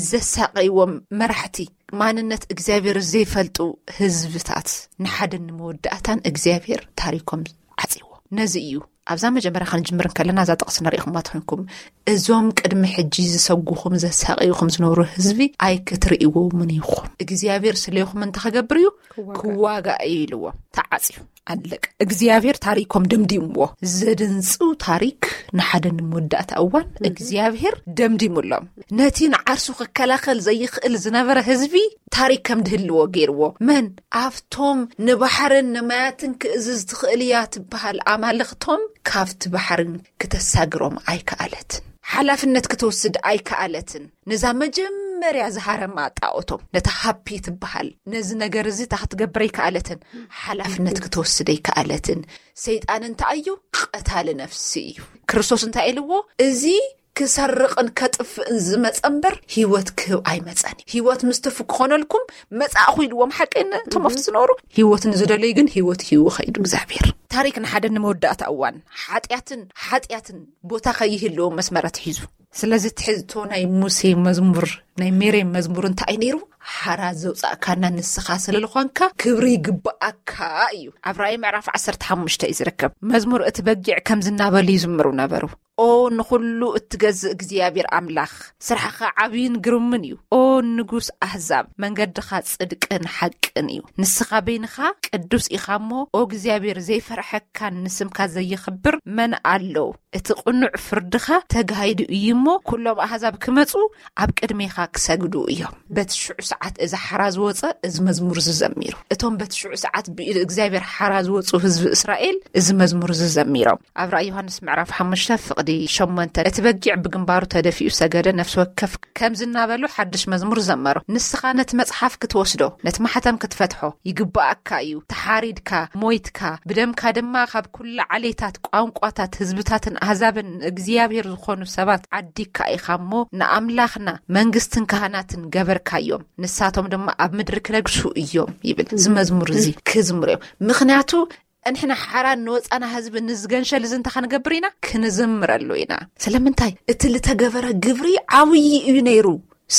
ዘሳቀይዎም መራሕቲ፣ ማንነት እግዚኣብሔር ዘይፈልጡ ህዝብታት፣ ንሓደን ንመወዳእታን እግዚኣብሔር ታሪኮም ዓጽይዎ። ነዚ እዩ ኣብዛ መጀመርያ ክንጅምር እንከለና እዛ ጥቕሲ ንሪኢኹማ ትኾንኩም፣ እዞም ቅድሚ ሕጂ ዝሰጉኹም ዘሳቀይኹም ዝነብሩ ህዝቢ ኣይክትርእይዎምን ኢኹም፣ እግዚኣብሔር ስለይኹም እንተ ክገብር እዩ ክዋጋእ እዩ ኢልዎም። ተዓጽዩ ኣለቀ። እግዚኣብሔር ታሪኮም ደምዲምዎ። ዘደንጽው ታሪክ። ንሓደ ንምወዳእታ እዋን እግዚኣብሔር ደምዲሙሎም። ነቲ ንዓርሱ ክከላኸል ዘይኽእል ዝነበረ ህዝቢ ታሪክ ከም ድህልዎ ገይርዎ። መን? ኣብቶም ንባሕርን ንማያትን ክእዝዝ ትኽእል እያ ትበሃል ኣማልኽቶም ካብቲ ባሕርን ክተሳግሮም ኣይከኣለትን። ሓላፍነት ክትወስድ ኣይከኣለትን። ነዛ መጀመርያ ዝሃረማ ጣኦቶም፣ ነታ ሃፒ ትበሃል፣ ነዚ ነገር እዚ እታ ክትገብር ኣይከኣለትን። ሓላፍነት ክትወስድ ኣይከኣለትን። ሰይጣን እንታይ እዩ? ቀታሊ ነፍሲ እዩ። ክርስቶስ እንታይ ኢልዎ? እዚ ክሰርቕን ከጥፍእን ዝመጸ እምበር ህይወት ክህብ ኣይመጸን እዩ። ህይወት ምስ ትፉ ክኾነልኩም መጻእኹ ኢልዎም። ሓቂ እቶም ኣብቲ ዝነበሩ ህይወት ንዝደለዩ ግን ህይወት ሂቡ ኸይዱ እግዚኣብሔር። ታሪክ ንሓደ ንመወዳእታ እዋን ሓጢኣትን ሓጢኣትን ቦታ ከይህልዎም መስመረት ሒዙ። ስለዚ ትሕዝቶ ናይ ሙሴ መዝሙር፣ ናይ ሜሬም መዝሙር እንታይ ነይሩ? ሓራ ዘውጻእካና ንስኻ ስለ ዝኾንካ ክብሪ ይግባኣካ እዩ። ኣብ ራእይ ምዕራፍ ዓሰርተ ሓሙሽተ እዩ ዝርከብ። መዝሙር እቲ በጊዕ ከምዚ እናበሉ ይዝምሩ ነበሩ። ኦ ንኹሉ እትገዝእ እግዚኣብሔር ኣምላኽ፣ ስራሕኻ ዓብይን ግሩምን እዩ። ኦ ንጉስ ኣህዛብ፣ መንገድኻ ጽድቅን ሓቅን እዩ። ንስኻ በይንኻ ቅዱስ ኢኻ እሞ፣ ኦ እግዚኣብሔር፣ ዘይፈርሐካን ንስምካ ዘይኽብር መን ኣሎ? እቲ ቅኑዕ ፍርድኻ ተጋሂዱ እዩ እሞ፣ ኩሎም ኣህዛብ ክመጹ ኣብ ቅድሜኻ ክሰግዱ እዮም። በቲ ሽዑ ሰዓት እዚ ሓራ ዝወጸ እዚ መዝሙር ዝዘሚሩ። እቶም በቲ ሽዑ ሰዓት ብኢድ እግዚኣብሔር ሓራ ዝወጹ ህዝቢ እስራኤል እዚ መዝሙር ዝዘሚሮም። ኣብ ራእይ ዮሃንስ ምዕራፍ ሓሙሽተ ፍቕዲ ሸሞንተ፣ እቲ በጊዕ ብግንባሩ ተደፊኡ ሰገደ፣ ነፍሲ ወከፍ ከምዚ እናበሉ ሓድሽ መዝሙር ዘመሩ። ንስኻ ነቲ መጽሓፍ ክትወስዶ፣ ነቲ ማሕተም ክትፈትሖ ይግባኣካ እዩ። ተሓሪድካ፣ ሞይትካ፣ ብደምካ ድማ ካብ ኩሉ ዓሌታት፣ ቋንቋታት፣ ህዝብታትን ኣህዛብን እግዚኣብሔር ዝኾኑ ሰባት ዓዲግካ ኢኻ እሞ፣ ንኣምላኽና መንግስትን ካህናትን ገበርካዮም፣ ንሳቶም ድማ ኣብ ምድሪ ክነግሱ እዮም ይብል። እዚ መዝሙር እዚ ክዝምሩ እዮም። ምኽንያቱ እንሕና ሓራን ንወጻና ህዝቢ ንዝገንሸል እዚ እንታይ ክንገብር ኢና? ክንዝምረሉ ኢና። ስለምንታይ? እቲ ልተገበረ ግብሪ ዓብዪ እዩ ነይሩ፣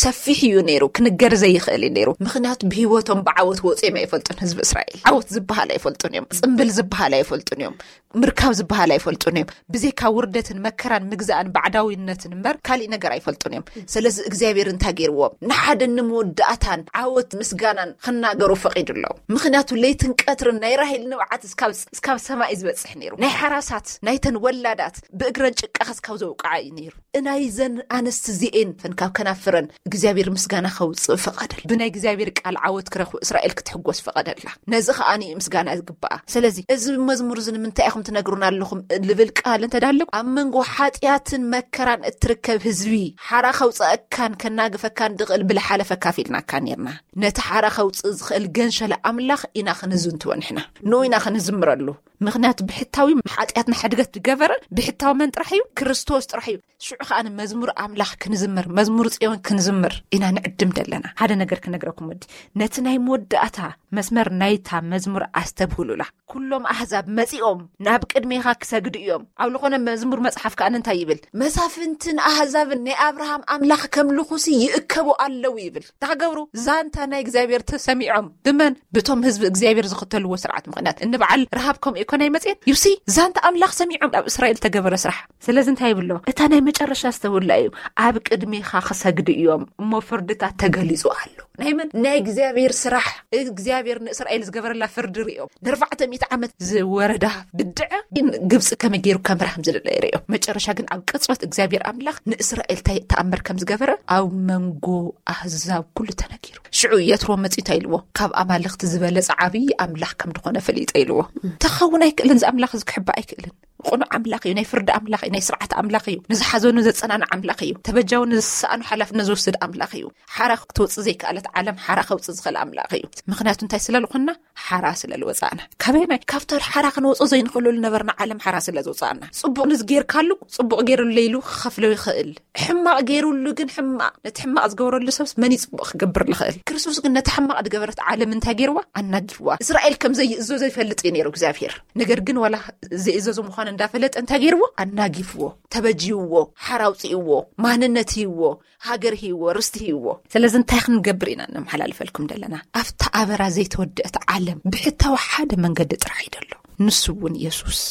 ሰፊሕ እዩ ነይሩ፣ ክንገር ዘይኽእል እዩ ነይሩ። ምኽንያቱ ብህይወቶም ብዓወት ወፂኦም ኣይፈልጡን። ህዝቢ እስራኤል ዓወት ዝበሃል ኣይፈልጡን እዮም። ጽምብል ዝበሃል ኣይፈልጡን እዮም። ምርካብ ዝበሃል ኣይፈልጡን እዮም። ብዘይካ ውርደትን መከራን ምግዛእን ባዕዳዊነትን እምበር ካሊእ ነገር ኣይፈልጡን እዮም። ስለዚ እግዚኣብሔር እንታይ ገይርዎም? ንሓደ ንመወዳእታን ዓወት ምስጋናን ክናገሩ ፈቒዱሎም። ምኽንያቱ ለይትን ቀትርን ናይ ራሄል ንብዓት እስካብ፣ እስካብ ሰማይ ዝበጽሕ ነይሩ። ናይ ሓራሳት፣ ናይተን ወላዳት ብእግረን ጭቃ እስካብ ዘውቅዓ እዩ ነይሩ። እናይዘን ኣንስቲ እዚኤን ፈን ካብ ከናፍረን እግዚኣብሔር ምስጋና ከውፅእ ፈቐደል። ብናይ እግዚኣብሔር ቃል ዓወት ክረኽቡ እስራኤል ክትሕጎስ ፈቐደላ። ነዚ ኸኣ እዩ ምስጋና ዝግብኣ። ስለዚ እዚ መዝሙር እዚ ንምንታይ ኢኹም ትነግሩና ኣለኹም ልብል ቃል እንተዳለኩ፣ ኣብ መንጎ ሓጢኣትን መከራን እትርከብ ህዝቢ ሓራ ከውፅኣካን ከናግፈካን ድቕል ብልሓለፈ ካፊልናካ ነርና። ነቲ ሓራ ከውፅእ ዝኽእል ገንሸል ኣምላኽ ኢና ክንዝንትዎ ንሕና። ንኡ ኢና ክንዝምረሉ። ምኽንያቱ ብሕታዊ ሓጢኣትና ሕድገት ዝገበረ ብሕታዊ መን ጥራሕ እዩ? ክርስቶስ ጥራሕ እዩ። ሽዑ ኸኣ ንመዝሙር ኣምላኽ ክንዝምር፣ መዝሙር ጽዮን ክንዝምር ኢና ንዕድም ደለና። ሓደ ነገር ክነግረኩም ወዲ፣ ነቲ ናይ መወዳእታ መስመር ናይታ መዝሙር ኣስተብህሉላ። ኩሎም ኣህዛብ መጺኦም ናብ ቅድሜኻ ክሰግዱ እዮም። ኣብ ዝኾነ መዝሙር መጽሓፍ ከኣ እንታይ ይብል? መሳፍንትን ኣህዛብን ናይ ኣብርሃም ኣምላኽ ከምልኹሲ ይእከቡ ኣለዉ ይብል። እንታይ ክገብሩ? ዛንታ ናይ እግዚኣብሔር ተሰሚዖም። ብመን? ብቶም ህዝቢ እግዚኣብሔር ዝኽተልዎ ስርዓት ምኽንያት። እንበዓል ረሃብ ከምኡ ይኮን ኣይመጽኤን። ዩሲ፣ ዛንታ ኣምላኽ ሰሚዖም ኣብ እስራኤል ተገበረ ስራሕ። ስለዚ እንታይ ይብሎ? እታ ናይ መጨረሻ ኣስተውላ እዩ። ኣብ ቅድሜኻ ክሰግዱ እዮም፣ እሞ ፍርድታት ተገሊጹ ኣሎ። ናይ መን? ናይ እግዚኣብሔር ስራሕ። እግዚኣብሔር ንእስራኤል ዝገበረላ ፍርዲ ርእዮም። ንኣርባዕተ ሚእቲ ዓመት ዝወረዳ ብድዐ ግን ግብፂ ከመይ ገይሩ ከምርሃም ዝደለ ርእዮም። መጨረሻ ግን ኣብ ቅጽበት እግዚኣብሔር ኣምላኽ ንእስራኤል እንታይ ተኣምር ከም ዝገበረ ኣብ መንጎ ኣህዛብ ኩሉ ተነጊሩ። ሽዑ የትሮ መጺኡ እንታይ ኢልዎ? ካብ ኣማልኽቲ ዝበለጸ ዓብዪ ኣምላኽ ከም ዝኾነ ፈሊጠ ኢልዎ። ተኸውን ኣይክእልን፣ እዚ ኣምላኽ እዚ ክሕባእ ኣይክእልን። ቅኑዕ ኣምላኽ እዩ፣ ናይ ፍርዲ ኣምላኽ እዩ፣ ናይ ስርዓት ኣምላኽ እዩ፣ ንዝሓዘኑ ዘጸናንዕ ኣምላኽ እዩ፣ ተበጃዊ ንዝሰኣኑ ሓላፍነት ዝወስድ ኣምላኽ እዩ። ሓራ ክትወጽእ ዘይከኣለት ዓለም ሓራ ከውፅእ ዝኽእል ኣምላኽ እዩ። ምኽንያቱ እንታይ ስለ ዝኾንና? ሓራ ስለ ዝወፃእና። ካበይ ናይ ካብታ ሓራ ክንወፅኦ ዘይንኽእለሉ ነበርና። ዓለም ሓራ ስለ ዝወፃእና፣ ፅቡቕ ንዝጌርካሉ ፅቡቕ ገይሩለይሉ ክኸፍሎ ይኽእል። ሕማቕ ገይሩሉ ግን ሕማቕ፣ ነቲ ሕማቕ ዝገበረሉ ሰብስ መን እዩ ፅቡቕ ክገብር ዝኽእል? ክርስቶስ ግን ነቲ ሕማቕ ዝገበረት ዓለም እንታይ ገይርዋ? ኣናጊፍዋ። እስራኤል ከም ዘይእዞ ዘይፈልጥ እዩ ነይሩ እግዚኣብሔር። ነገር ግን ዋላ ዘይእዘዞ ምዃኑ እንዳፈለጠ እንታይ ገይርዎ? ኣናጊፍዎ፣ ተበጅይዎ፣ ሓራ ኣውፅእዎ፣ ማንነት ህይዎ፣ ሃገር ህይዎ፣ ርስቲ ህይዎ። ስለዚ እንታይ ክንገብር ኢና ነመሓላልፈልኩም ዘለና? ኣብታ ኣበራ ዘይተወደአት ዓለም ብሕታዊ ሓደ መንገዲ ጥራሕ እዩ ዘሎ። ንሱ እውን የሱስ፣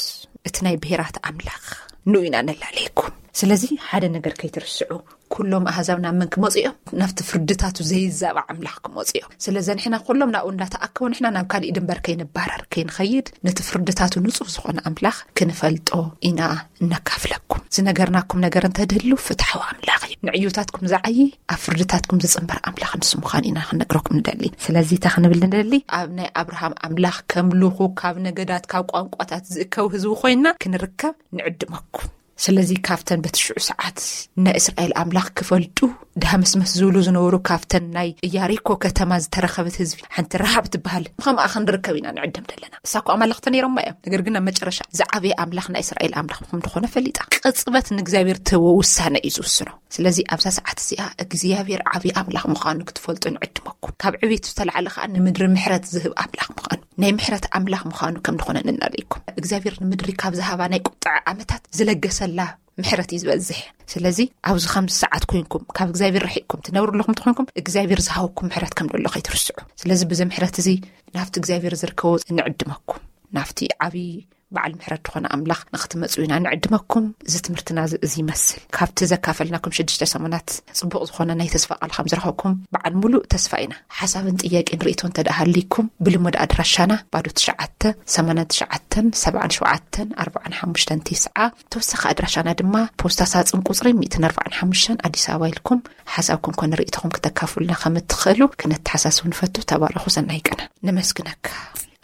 እቲ ናይ ብሔራት ኣምላኽ፣ ንኡ ኢና ነላለየኩም። ስለዚ ሓደ ነገር ከይትርስዑ፣ ኩሎም ኣህዛብ ናብ መን ክመፁ እዮም? ናብቲ ፍርድታቱ ዘይዛባ ኣምላኽ ክመፁ እዮም። ስለዚ ንሕና ኩሎም ናብኡ እንዳተኣከቡ ንሕና ናብ ካሊእ ድንበር ከይንባረር ከይንኸይድ፣ ነቲ ፍርድታቱ ንጹህ ዝኾነ ኣምላኽ ክንፈልጦ ኢና እነካፍለኩም። ዝነገርናኩም ነገር እንተድህሉ ፍትሓዊ ኣምላኽ እዩ። ንዕዩታትኩም ዝዓዪ፣ ኣብ ፍርድታትኩም ዝጽንበር ኣምላኽ ንሱ ምዃኑ ኢና ክንነግረኩም ንደሊ። ስለዚ እታ ክንብል ንደሊ፣ ኣብ ናይ ኣብርሃም ኣምላኽ ከምልኹ፣ ካብ ነገዳት ካብ ቋንቋታት ዝእከቡ ህዝቢ ኮይንና ክንርከብ ንዕድመኩም። ስለዚ ካብተን በቲ ሽዑ ሰዓት ናይ እስራኤል ኣምላኽ ክፈልጡ ዳህመስመስ ዝብሉ ዝነበሩ ካብተን ናይ ኢያሪኮ ከተማ ዝተረኸበት ህዝቢ ሓንቲ ረሃብ ትበሃል ከምኣ ክንርከብ ኢና ንዕድም ዘለና። እሳ እኮ ኣማልኽቲ ነይሮማ እዮም። ነገር ግን ኣብ መጨረሻ ዝዓበየ ኣምላኽ ናይ እስራኤል ኣምላኽ ከም ዝኾነ ፈሊጣ። ቅጽበት ንእግዚኣብሔር ትህቦ ውሳነ እዩ ዝውስኖ። ስለዚ ኣብዛ ሰዓት እዚኣ እግዚኣብሔር ዓብዪ ኣምላኽ ምዃኑ ክትፈልጡ ንዕድመኩም። ካብ ዕቤቱ ዝተላዕለ ከዓ ንምድሪ ምሕረት ዝህብ ኣምላኽ ምዃኑ፣ ናይ ምሕረት ኣምላኽ ምዃኑ ከም ዝኾነ ንናለይኩም። እግዚኣብሔር ንምድሪ ካብ ዝሃባ ናይ ቁጥዐ ዓመታት ዝለገሰላ ምሕረት እዩ ዝበዝሕ። ስለዚ ኣብዚ ከምዚ ሰዓት ኮይንኩም ካብ እግዚኣብሔር ርሒቅኩም ትነብሩ ኣለኹም ትኾንኩም እግዚኣብሔር ዝሃወኩም ምሕረት ከም ደሎ ከይትርስዑ። ስለዚ ብዚ ምሕረት እዚ ናብቲ እግዚኣብሔር ዝርከቦ ንዕድመኩም፣ ናብቲ ዓብዪ በዓል ምሕረት ዝኾነ ኣምላኽ ንክትመፁ ኢና ንዕድመኩም። እዚ ትምህርትና እዚ ይመስል። ካብቲ ዘካፈልናኩም ሽዱሽተ ሰሙናት ጽቡቕ ዝኾነ ናይ ተስፋ ቃል ከም ዝረኸብኩም በዓል ሙሉእ ተስፋ ኢና። ሓሳብን ጥያቄን ርእቶ እንተ ደኣ ሃልይኩም ብልሙድ ኣድራሻና ባዶ ትሽዓተ ሰማንያን ትሽዓተን ሰብዓን ሸውዓተን ኣርባዓን ሓሙሽተን ተስዓ፣ ተወሳኺ ኣድራሻና ድማ ፖስታ ሳጽን ቁጽሪ ሚእትን ኣርባዓን ሓሙሽተን ኣዲስ ኣበባ ኢልኩም ሓሳብኩም ኮነ ርእቶኹም ክተካፍሉና ከም እትኽእሉ ክነተሓሳስብ ንፈቱ። ተባረኹ። ሰናይ ቀነ። ነመስግነካ።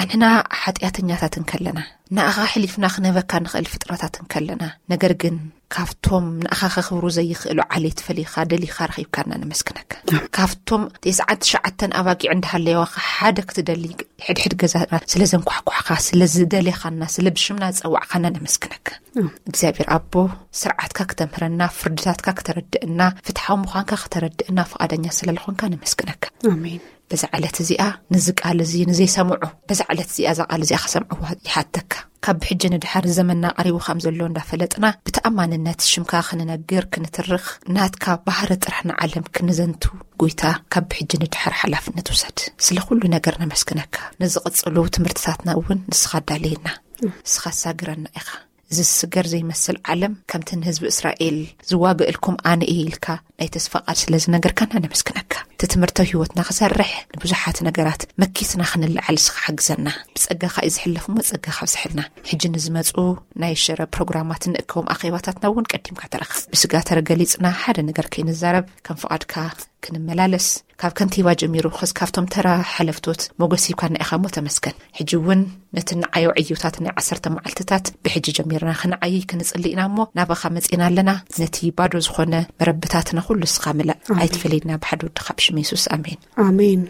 ኣንሕና ሓጢኣተኛታት እንከለና፣ ንኣኻ ሕሊፍና ክነህበካ ንኽእል ፍጥረታት እንከለና፣ ነገር ግን ካብቶም ንኣኻ ከኽብሩ ዘይኽእሉ ዓሌት ፈሊኻ ደሊኻ ረኺብካና ነመስግነካ። ካብቶም ተስዓን ትሽዓተን ኣባጊዕ እንዳሃለየዋኻ ሓደ ክትደሊ ሕድሕድ ገዛና ስለ ዘንኳሕኳሕካ፣ ስለ ዝደሌኻና፣ ስለ ብሽምና ዝጸዋዕካና ነመስግነካ። እግዚኣብሔር ኣቦ፣ ስርዓትካ ክተምህረና፣ ፍርድታትካ ክተረድእና፣ ፍትሓዊ ምዃንካ ክተረድእና ፍቓደኛ ስለ ዝኾንካ ነመስግነካ። ኣሜን። በዛ ዕለት እዚኣ ነዚ ቃል እዚ ንዘይሰምዑ በዛ ዕለት እዚኣ እዛ ቃል እዚኣ ክሰምዕዋ ይሓተካ። ካብ ብሕጂ ንድሓር ዘመንና ቀሪቡ ከም ዘሎ እንዳፈለጥና ብተኣማንነት ሽምካ ክንነግር ክንትርኽ ናትካ ባህሪ ጥራሕ ንዓለም ክንዘንቱ ጎይታ ካብ ብሕጂ ንድሓር ሓላፍነት ውሰድ። ስለ ኩሉ ነገር ነመስግነካ። ንዝቕጽሉ ትምህርትታትና እውን ንስኻ ኣዳልየና። ንስኻ ኣሳግረና ኢኻ። ዝስገር ዘይመስል ዓለም ከምቲ ንህዝቢ እስራኤል ዝዋግእልኩም ኣነ እየ ኢልካ ናይ ተስፋ ቃል ስለ ዝነገርካና ነመስግነካ። እቲ ትምህርታዊ ህይወትና ክሰርሕ ንብዙሓት ነገራት መኪትና ክንለዓል ንስኻ ሓግዘና። ብጸጋኻ እዩ ዝሕለፍ እሞ ጸጋኻ ኣብዝሐልና። ሕጂ ንዝመጹ ናይ ሽረ ፕሮግራማት እንእከቦም ኣኼባታትና እውን ቀዲምካ ተረኸብ። ብስጋ ተረገሊጽና ሓደ ነገር ከይንዛረብ ከም ፍቓድካ ክንመላለስ ካብ ከንቲባ ጀሚሩ ክስ ካብቶም ተራ ሓለፍቶት ሞገስ ሂብካና ኢኻ እሞ ተመስገን። ሕጂ እውን ነቲ ንዓዮ ዕዩታት ናይ ዓሰርተ መዓልትታት ብሕጂ ጀሚርና ክንዓይይ ክንጽሊ ኢና እሞ ናባኻ መጺና ኣለና። ነቲ ባዶ ዝኾነ መረብታትና ኩሉ ንስኻ ምለእ። ኣሜን። ኣይትፈለየና ብሓደ ወድኻ ብሽም የሱስ ኣሜን። ኣሜን።